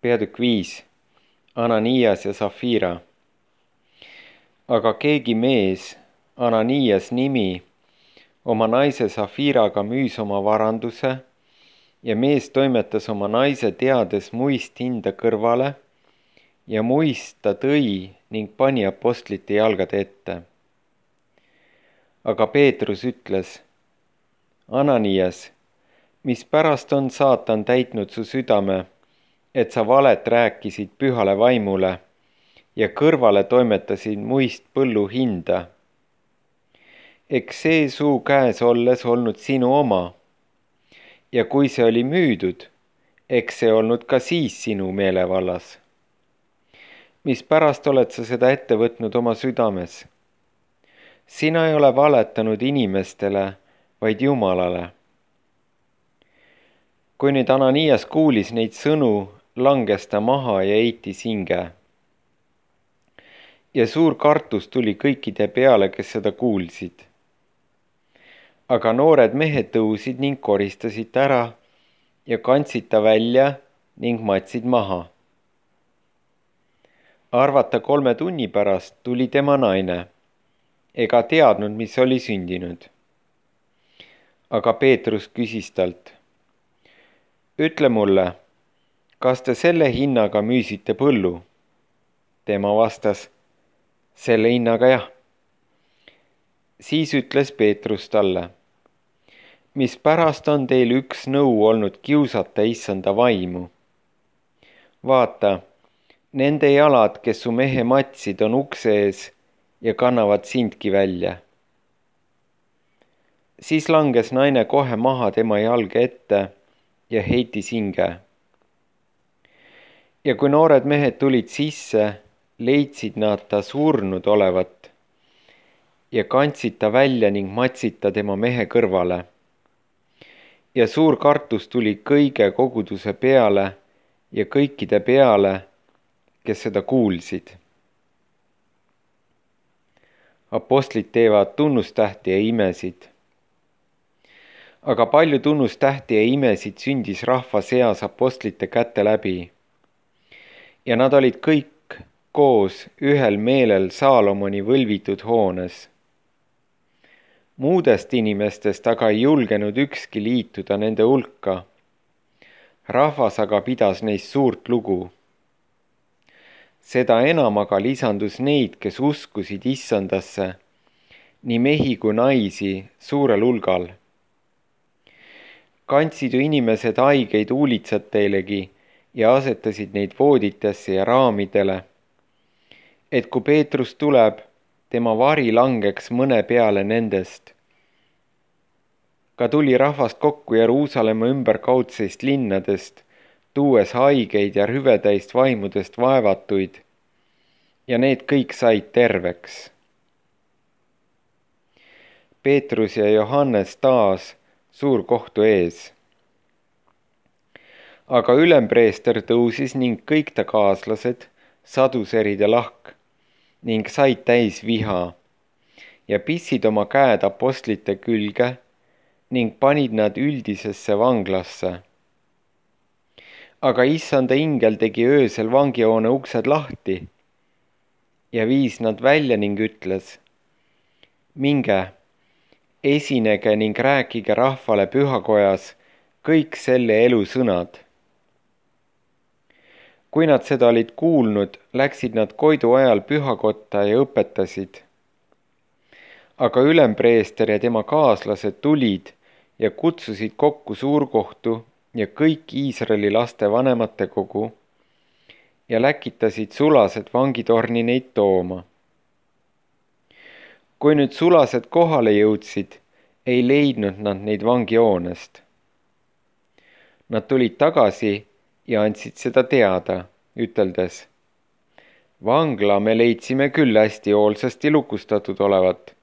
Peatükk 5. Ananias ja Safira. Aga keegi mees, Ananias nimi, oma naise Safiraga müüs oma varanduse ja mees toimetas oma naise teades muist hinda kõrvale ja muist ta tõi ning pani apostlite jalgade ette. Aga Peetrus ütles: Ananias, mispärast on saatan täitnud su südame, et sa valet rääkisid pühale vaimule ja kõrvale toimetasid muist põllu hinda? Eks see suu käes olles olnud sinu oma. Ja kui see oli müüdud, eks see olnud ka siis sinu meelevallas. Mispärast oled sa seda ette võtnud oma südames? Sina ei ole valetanud inimestele, vaid Jumalale. Kui nüüd Ananias kuulis neid sõnu, langes ta maha ja heitis hinge. Ja suur kartus tuli kõikide peale, kes seda kuulsid. Aga noored mehed tõusid ning koristasid ära ja kandsid ta välja ning matsid maha. Arvata 3 tunni pärast tuli tema naine, ega teadnud, mis oli sündinud. Aga Peetrus küsis talt: Ütle mulle, kas te selle hinnaga müüsite põllu? Tema vastas: Selle hinnaga jah. Siis ütles Peetrus talle: Mispärast on teil üks nõu olnud kiusata issanda vaimu? Vaata, nende jalad, kes su mehe matsid, on ukse ees ja kannavad sindki välja. Siis langes naine kohe maha tema jalge ette ja heitis hinge. Ja kui noored mehed tulid sisse, leidsid nad ta surnud olevat ja kandsid ta välja ning matsid ta tema mehe kõrvale. Ja suur kartus tuli kõige koguduse peale ja kõikide peale, kes seda kuulsid. Apostlid teevad tunnustähti ja imesid. Aga palju tunnustähti ja imesid sündis rahva seas apostlite käte läbi. Ja nad olid kõik koos ühel meelel Saalomoni võlvitud hoones. Muudest inimestest aga ei julgenud ükski liituda nende hulka. Rahvas aga pidas neist suurt lugu. Seda enam aga lisandus neid, kes uskusid issandasse, nii mehi kui naisi suurel hulgal. Kandsid ju inimesed haigeid huulitsateilegi ja asetasid neid vooditesse ja raamidele, et kui Peetrus tuleb, tema vari langeks mõne peale nendest. Ka tuli rahvast kokku Jeruusalemma ümberkaudseist linnadest, tuues haigeid ja rüvetäist vaimudest vaevatuid, ja need kõik said terveks. Peetrus ja Johannes taas suurkohtu ees. Aga ülempreester tõusis ning kõik ta kaaslased, saduserid ja lahk, ning said täis viha ja pissid oma käed apostlite külge ning panid nad üldisesse vanglasse. Aga issanda ingel tegi öösel vangihoone uksed lahti ja viis nad välja ning ütles: Minge, esinege ning rääkige rahvale pühakojas kõik selle elu sõnad. Kui nad seda olid kuulnud, läksid nad koidu ajal pühakotta ja õpetasid. Aga ülempreester ja tema kaaslased tulid ja kutsusid kokku suurkohtu ja kõik Iisraeli laste vanematekogu ja läkitasid sulased vangitorni neid tooma. Kui nüüd sulased kohale jõudsid, ei leidnud nad neid vangihoonest. Nad tulid tagasi ja andsid seda teada, üteldes: Vangla me leidsime küll hästi hoolsasti lukustatud olevat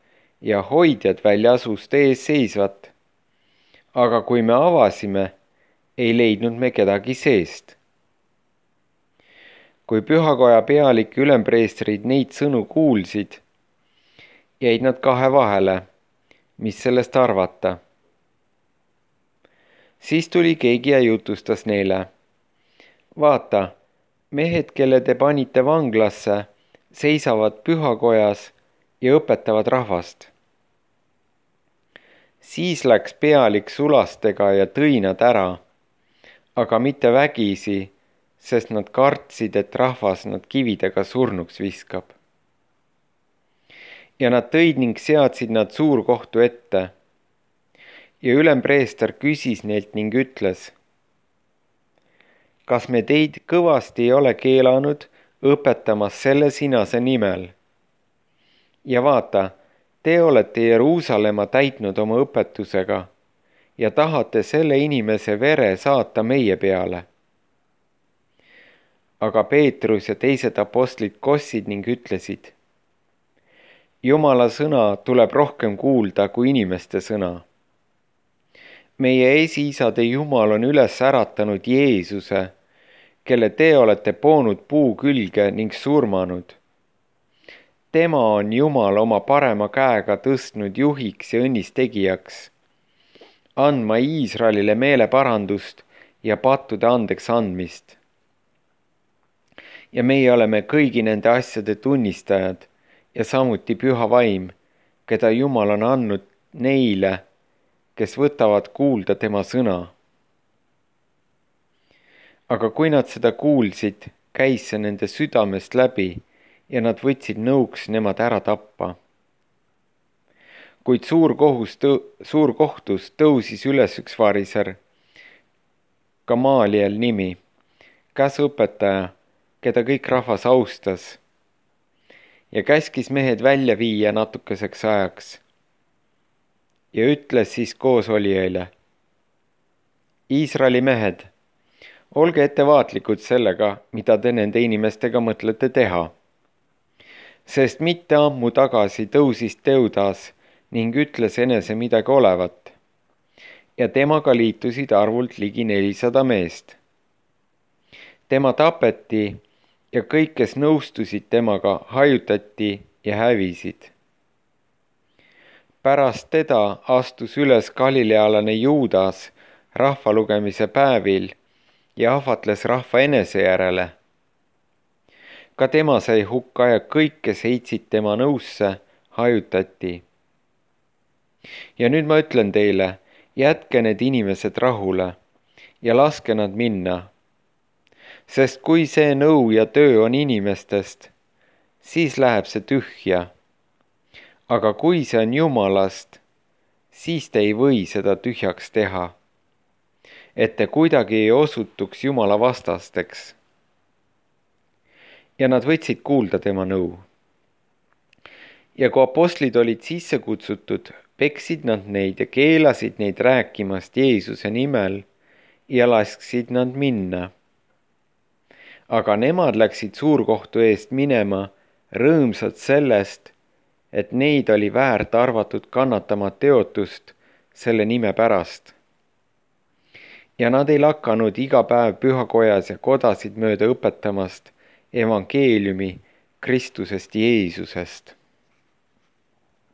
ja hoidjad väljas uste ees seisvat. Aga kui me avasime, ei leidnud me kedagi seest. Kui pühakoja pealik ülempreestrid neid sõnu kuulsid, jäid nad kahe vahele, mis sellest arvata. Siis tuli keegi ja jutustas neile: Vaata, mehed, kelle te panite vanglasse, seisavad pühakojas ja õpetavad rahvast. Siis läks pealik sulastega ja tõi nad ära, aga mitte vägisi, sest nad kartsid, et rahvas nad kividega surnuks viskab. Ja nad tõid ning seadsid nad suurkohtu ette. Ja ülempreester küsis neilt ning ütles: kas me teid kõvasti ei ole keelanud õpetamas selle sinase nimel? Ja vaata, te olete Jeruusalemma täitnud oma õpetusega ja tahate selle inimese vere saata meie peale. Aga Peetrus ja teised apostlid kossid ning ütlesid: Jumala sõna tuleb rohkem kuulda kui inimeste sõna. Meie esiisade Jumal on üles äratanud Jeesuse, kelle te olete poonud puu külge ning surmanud. Tema on Jumal oma parema käega tõstnud juhiks ja õnnistegijaks, andma Iisraelile meeleparandust ja pattude andeks andmist. Ja meie oleme kõigi nende asjade tunnistajad ja samuti Püha Vaim, keda Jumal on andnud neile, kes võtavad kuulda tema sõna. Aga kui nad seda kuulsid, käis see nende südamest läbi ja nad võtsid nõuks nemad ära tappa. Kuid suurkohtus tõusis üles üks variser, Gamaliel nimi, käsuõpetaja, keda kõik rahvas austas, ja käskis mehed välja viia natukeseks ajaks. Ja ütles siis koosolijaile: Iisraeli mehed, olge ettevaatlikud sellega, mida te nende inimestega mõtlete teha. Sest mitte ammu tagasi tõusis Teudas ning ütles enese midagi olevat. Ja temaga liitusid arvult ligi 400 meest. Tema tapeti ja kõik, kes nõustusid temaga, hajutati ja hävisid. Pärast teda astus üles galilealane Juudas rahvalugemise päevil ja ahvatles rahva enese järele. Ka tema sai hukka ja kõik, kes heitsid tema nõusse, hajutati. Ja nüüd ma ütlen teile, jätke need inimesed rahule ja laske nad minna. Sest kui see nõu ja töö on inimestest, siis läheb see tühja. Aga kui see on Jumalast, siis te ei või seda tühjaks teha, et te kuidagi ei osutuks Jumala vastasteks. Ja nad võtsid kuulda tema nõu. Ja kui apostlid olid sisse kutsutud, peksid nad neid ja keelasid neid rääkimast Jeesuse nimel ja lasksid nad minna. Aga nemad läksid suurkohtu eest minema, rõõmsad sellest, et neid oli väärt arvatud kannatama teotust selle nime pärast. Ja nad ei lakanud iga päev pühakojas ja kodasid mööda õpetamast evangeeliumi Kristusest Jeesusest.